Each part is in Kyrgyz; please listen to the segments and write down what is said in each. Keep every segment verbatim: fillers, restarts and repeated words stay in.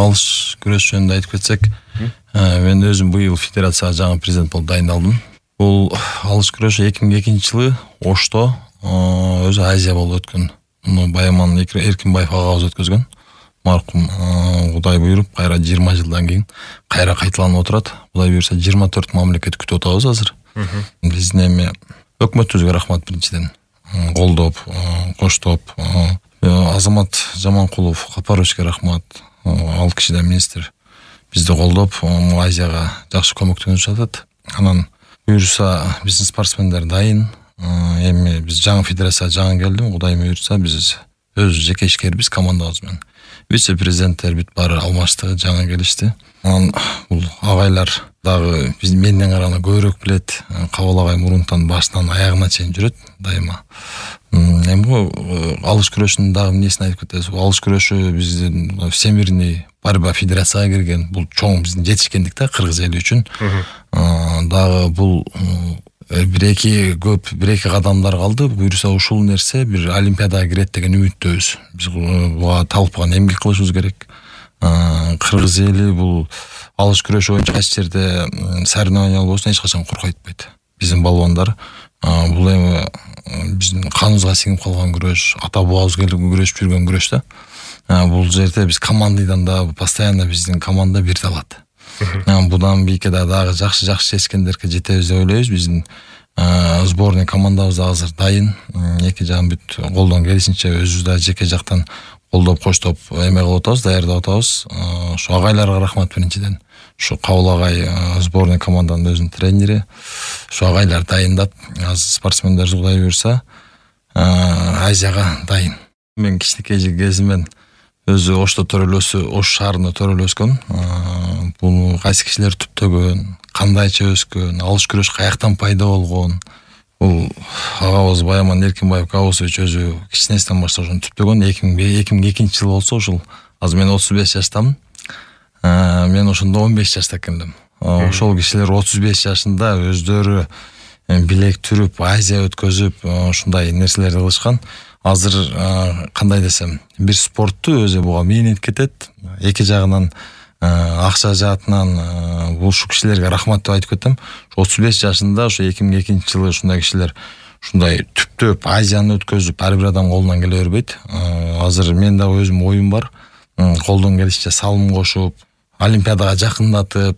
алыш күрөш жөнүндө айтып кетсек, мен өзүм быйыл федерацияга жаңы президент болуп дайындалдым. Бул алыш күрөшү эки миң экинчи жылы Ошто өзү Азия болуп өткөн. Муну Баяман Эркинбаев агабыз өткөзгөн. Маркум Кудай буйруп, кайра жыйырма жылдан кийин кайра кайталанып отурат. Кудай буйруса жыйырма төрт мамлекет күтүп атабыз азыр. Биздин эми өкмөтүбүзгө рахмат биринчиден. Колдоп, коштоп, Азамат Жаманкулов Капаровичке рахмат. Ал кишиден министр бизди колдоп, Азияга жакшы көмөктөнүп жатат. Анан буйруса биздин спортсмендер дайын. Эми биз жаңы федерация жаңы келдим. Кудай буйруса биз өз жеке ишкерибиз командабыз менен. Вице-президенттер бүт баары алмашты, жаңы келишти. Анан бул агайлар дагы биз менден караганда көбүрөөк билет. Кабыл агай мурунтан башынан аягына чейин жүрөт дайыма. Эми бул алыш күрөшүнүн дагы эмнесин айтып кетебиз. Алыш күрөшү биздин Всемирный борьба федерацияга кирген. Бул чоң биздин жетишкендик да кыргыз эли үчүн. Дагы бул бир-эки көп бир-эки кадамдар калды. Буйруса ушул нерсе бир олимпиадага кирет деген үмүттөбүз. Биз буга талпкан эмгек кылышыбыз керек. Кыргыз эли бул алыш күрөшү боюнча кайсы жерде соревнования болбосун эч качан куркайтпайт. Биздин балбандар бул эми биздин каныбызга сиңип калган күрөш, ата бабабыз келип күрөшүп жүргөн күрөш да. Бул жерде биз командайдан да постоянно биздин команда бирде алат. Будан бийке дагы жакшы-жакшы чечкендерге жетебиз деп ойлойбуз. Биздин сборный командабыз азыр дайын. Эки жагын бүт колдон келишинче өзүбүз да жеке жактан колдоп, коштоп эме кылып атабыз, даярдап атабыз. Ушу агайларга рахмат биринчиден. Ушу Кабыл агай сборный команданын өзүнүн тренери. Ушу агайлар дайындап, азыр спортсмендер Кудай буйруса Азияга дайын. Мен кичинекей кезимден өзү Ошто төрөлөсү, Ош шаарында төрөлөскөн. Буну кайсы кишилер түптөгөн, кандайча өскөн, алыш күрөш каяктан пайда болгон. Бул агабыз Баяман Эркинбаев Кабусович өзү кичинесинен баштап ошону түптөгөн. эки миң экинчи жыл болсо ушул азыр мен отуз беш жаштамын. Мен ошондо он беш жашта экенмин. Ошол кишилер отуз беш жашында өздөрү билек түрүп, Азия өткөзүп, ушундай нерселерди кылышкан. Азыр кандай десем, бир спортту өзү буга мээнет кетет. Эки жагынан акча жаатынан бул ушу кишилерге рахмат деп айтып кетем. отуз беш жашында ошо эки миң экинчи жылы ушундай кишилер ушундай түптөп Азияны өткөзүп, ар бир адам колунан келе бербейт. Азыр мен дагы өзүм оюм бар. Колдон келишинче салым кошуп, олимпиадага жакындатып,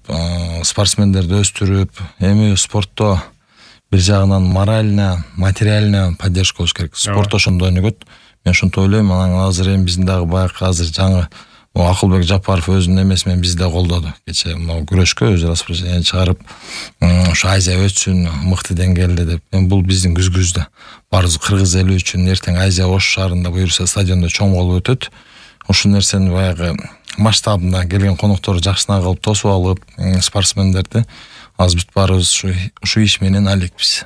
спортсмендерди өстүрүп, эми спортто бир жагынан морально, материально поддержка болуш керек. Спорт ошондо өнүгөт. Мен ошонто ойлойм. Анан азыр эми биздин дагы баягы азыр жаңы Акылбек Жапаров өзүнүн эмеси менен бизди да колдоду. Кече могу күрөшкө өзү распоряжение чыгарып, ушу Азия өтсүн, мыкты деңгээлде деп. Эми бул биздин күзгүздө. Барыбыз кыргыз эли үчүн эртең Азия Ош шаарында буйруса стадиондо чоң болуп өтөт. Ушул нерсени баягы масштабында келген конокторду жакшына кылып тосуп алып, спортсмендерди азыр бүт баарыбыз ушу иш менен алекпиз.